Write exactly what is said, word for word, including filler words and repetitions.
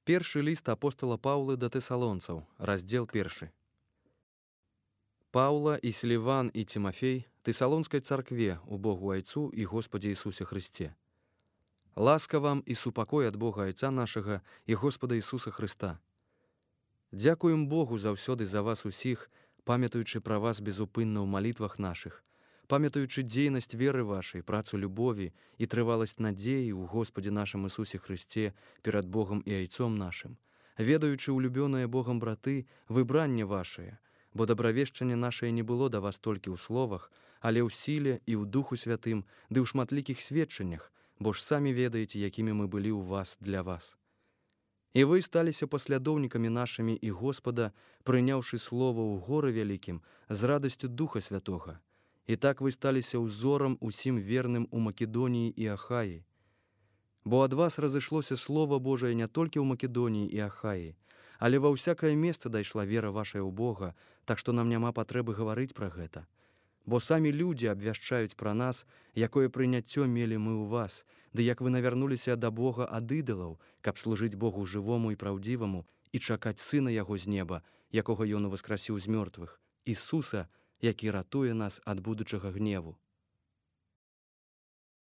Першы ліст апостала Паўлы да тэсалонцаў, раздзел першы. Паўла і Сіліван і Тимофей тэсалонскай царкве у Богу Айцу і Господе Ісусе Христе. Ласка вам і супакой ад Бога Айца нашага і Господа Ісуса Христа. Дзякуем Богу заўсёды за вас усіх, памятаючы пра вас безупынна ў малітвах нашых, памятаючы дзейнасць веры вашай, працу любові і трываласць надзеі ў Господе нашым Ісусе Христе перад Богом і Айцом нашым, ведаючы улюбёныя Богам браты выбранне вашае, бо дабравешчанне нашае не было да вас толькі ў словах, але ў сіле і ў Духу Святым, ды ў шматлікіх сведчаннях, бо ж самі ведаеце, якімі мы былі ў вас для вас. І вы сталіся паслядоўнікамі нашымі і Господа, прыняўшы слова ў горы вялікім з радасцю Духа Святога. І так вы сталіся ўзорам усім верным у Македоніі і Ахаі. Бо ад вас разышлося Слова Божае не толькі ў Македоніі і Ахаі, але ва ўсякае месца дайшла вера вашая ў Бога, так што нам няма патрэбы гаварыць пра гэта. Бо самі людзі абвяшчаюць пра нас, якое прыняццё мелі мы ў вас, ды як вы навярнуліся да Бога ад ідалаў, каб служыць Богу жывому і праўдзіваму і чакаць Сына Яго з неба, якога Ён уваскрасіў з мёртвых, Ісуса, які ратуе нас ад будучага гневу.